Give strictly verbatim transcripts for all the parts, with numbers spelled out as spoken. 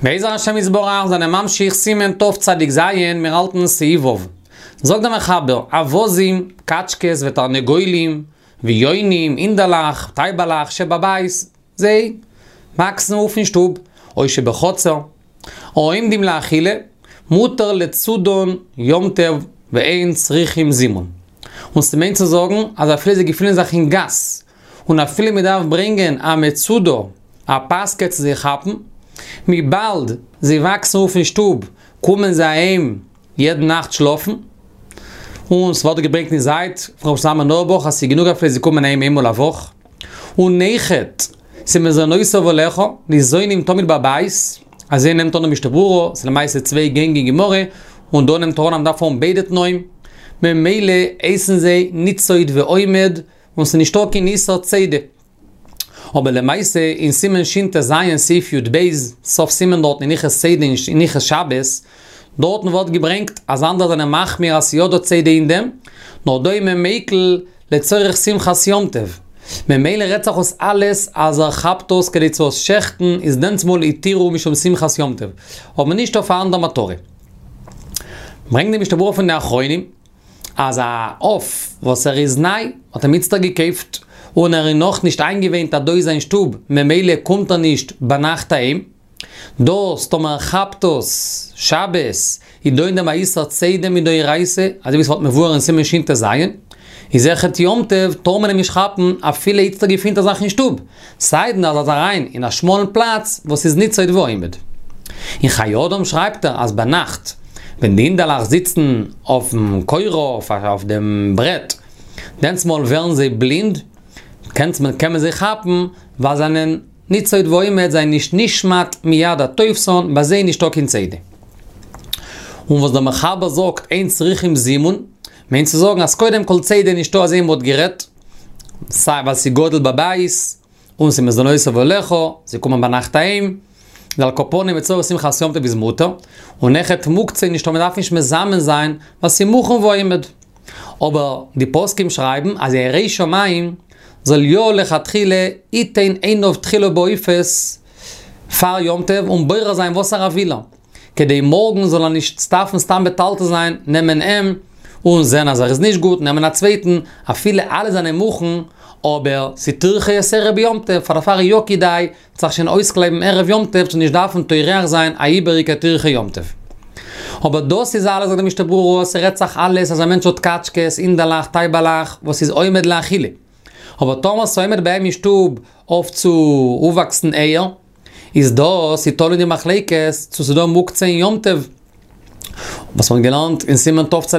בעזר השם יתברך זענען ממשיך סימן תצ"ז, מיר האלטן סעיף ו'. זאגט דער מחבר, אווזים, קאטשקעס ותרנגולים, ויונים, הינדעלעך, טייבעלעך, שבבית, זיי וואקסן אויף אין שטוב, או שבחצר, העומדים לאכילה, מותר לצודן יום טוב ואין צריכים זימון. און ס'מיינט צו זאגן אז אפילו זיי געפינען זיך אין גאס, און אפילו מ'דארף ברענגען א מצודה, א פאסקע צו זיי כאפן, וויבאלד זיי וואקסן אויף אין שטוב, קומען זיי אהיים יעדן נאכט שלאפן, און ס'ווערט געברענגט אין זייט פון ר' שלמה זלמן אויערבאך אז ס'איז גענוג אפילו זיי קומען אהיים איינמאל א וואך, און אויכעט ס'מזונותיו עליך, ניזונים תמיד בבית, אזוי נעמט אן די משנה ברורה, ס'איז למעשה צוויי גענג אין גמרא, און דא נעמט ער אן אז מ'דארף האבן ביידע תנאים, ממילא הייסן זיי ניצוד ועומד, און ס'איז נישטא קיין איסור צידה. אבער למעשה אין סימן שט"ז סעיף י"ב, סוף סימן דארטן אין הלכות צידה אין הלכות שבת, דארטן ווערט געברענגט אז אנדערע זענען מחמיר אז ס'יא דא צידה אין דעם, נאר דא איז מען מיקל לצורך שמחת יום טוב. ממילא רעדט זיך אויס אלעס אז ער כאפט עס כדי צו עס שעכטן איז דענסמאל התירו משום שמחת יום טוב, אבער נישט אויף א אנדער מטרה. ברענגט די משנה ברורה פון די אחרונים אז א עוף וואס ער איז ניי, האט אים איצטער געקויפט, און ער איז נאך נישט איינגעוואינט אז דא איז זיין שטוב, ממילא קומט ער נישט ביינאכט אהיים, דאס טאמער ער כאפט עס שבת איז דא אין דעם א איסור צידה מדאורייתא, אזוי ווי ס'ווערט מבואר אין סימן שט"ז, איז אויכעט יום טוב טאר מען אים נישט כאפן אפילו איצטער געפינט ער זיך אין שטוב, סיידן אז ער איז אריין אין א שמאלן פלאץ וואס איז ניצוד ועומד. אין חיי אדם שרייבט ער אז ביינאכט ווען די הינדעלעך זיצן אויפן קורה אויף דעם ברעט דענסמאל ווערן זיי בלינד, קען מען זיי כאפן ווייל זיי זענען ניצוד ועומד זענען נישט נשמט מיד התופסן, ביי זיי נישטא קיין צידה. און וואס דער מחבר זאגט אין צריכים זימון, מיינט צו זאגן אז קודם כל צידה נישטא אזוי ווי מ'האט גערעדט, סיי ווייל ס'גדל בבית, און ס'מזונותיו עליך, זיי קומען ביינאכט אהיים, און על כל פנים לצורך שמחת יום טוב איז מותר, און אויכעט מוקצה נישטא מ'דארף נישט מזמן זיין ווייל ס'מוכן ועומד. אבער די פוסקים שרייבן אז א ירא שמים זאל יא לכתחילה יתן עיניו תחילה בעופות פאר יום טוב און בורר זיין וואסערע וויל ער, כדי מארגן זאל ער נישט דארפן סתם מטלטל זיין, נעמען אים און זען אז ער איז נישט גוט, נעמען א צווייטן, אפילו אלע זענען מוכן, אבער ס'טירחא יתירה ביום טוב, פאר דערפאר איז יא כדאי זיך שוין אויסקלייבן ערב יום טוב צו נישט דארפן טורח זיין א איבעריגע טירחא יום טוב. אבער דאס איז אלעס זאגט די משנה ברורה, ס'רעדט זיך אלעס אז א מענטש האט קאטשקעס, הינדעלעך, טייבעלעך, וואס איז עומד לאכילה. אבער טאמער ס'עומד ביי אים אין שטוב אויף צו אויפוואקסן אייער, איז דאס איז תלוי אין די מחלוקת צו ס'דא מוקצה אין יום טוב, וואס מ'האט געלערנט אין סימן תצ"ה.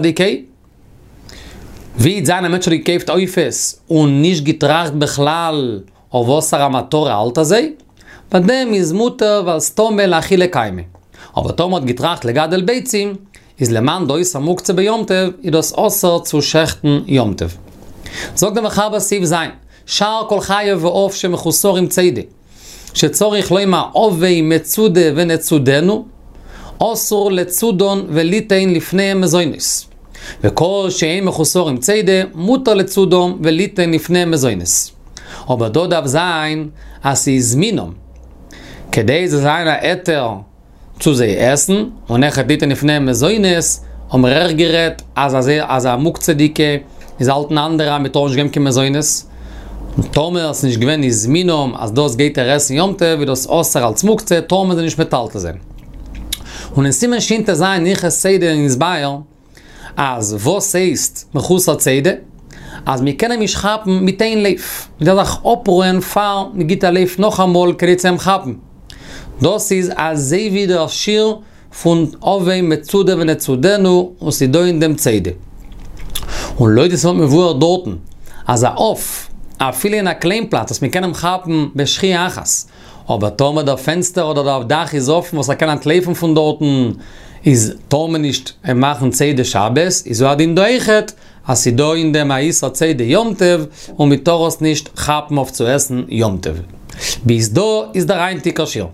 ווי וועט זיין א מענטש האט געקויפט עופות און נישט געטראכט בכלל אויף וואסערע מטרה האלט ער זיי, ביי דעם איז מותר ווייל סתמא לאכילה קיימי. אבער טאמער האט געטראכט לגדל ביצים, איז למאן דאיסור מוקצה ביום טוב, איז דאס אסור צו שעכטן יום טוב. זאגט דער מחבר סעיף ז', שאר כל חיה ועוף שמחוסרים צידה, שצריך לומר הבא מצודה ונצודנו, אסור לצודן וליתן לפניהם מזונות. וכל שאין מחוסרים צידה, מותר לצודם וליתן לפניהם מזונות. אבער דא דארף זיין אז ס'איז מינם. כדי ס'זאל זיין א היתר צו זיי עסן, און אויכעט ליתן לפניהם מזונות, האבן מיר אויך גערעדט אז אז א מוקצה'דיגע איז האלטן אנדערע אז מ'טאר נישט געבן קיין מזונות. און טאמער ס'איז נישט געווען הזמינם אז דאס גייט ער עסן יום טוב איז דאס אסור אלס מוקצה טאר מען זיי נישט מטלטל זיין. און אין סימן שט"ז אין הלכות צידה איז נתבאר אז וואס הייסט מחוסר צידה? אז מען קען אים נישט כאפן מיט איין לויף, מען דארף זיך אפרוען פאר מען גיבט א לויף נאכאמאל כדי צו אים כאפן. דאס איז אזוי ווי דער שיעור פון הבא מצודה ונצודנו און ס'איז דא אין דעם צידה. און לויט ווי ס'ווערט מבואר דארטן אז א עוף אפילו אין א קליין פלאץ וואס מען קען אים כאפן בשחייה אחת, אבער טאמער דער פענסטער אדער דער דאך איז אפן וואס ער קען אנטלויפן פון דארטן איז טאר מען נישט אים מאכן צידה שבת, איז הוא הדין דא אויכעט אז ס'איז דא אין דעם א איסור צידה יום טוב און מען טאר עס נישט כאפן אויף צו עסן יום טוב. ביז דא איז דער היינטיגער שיעור.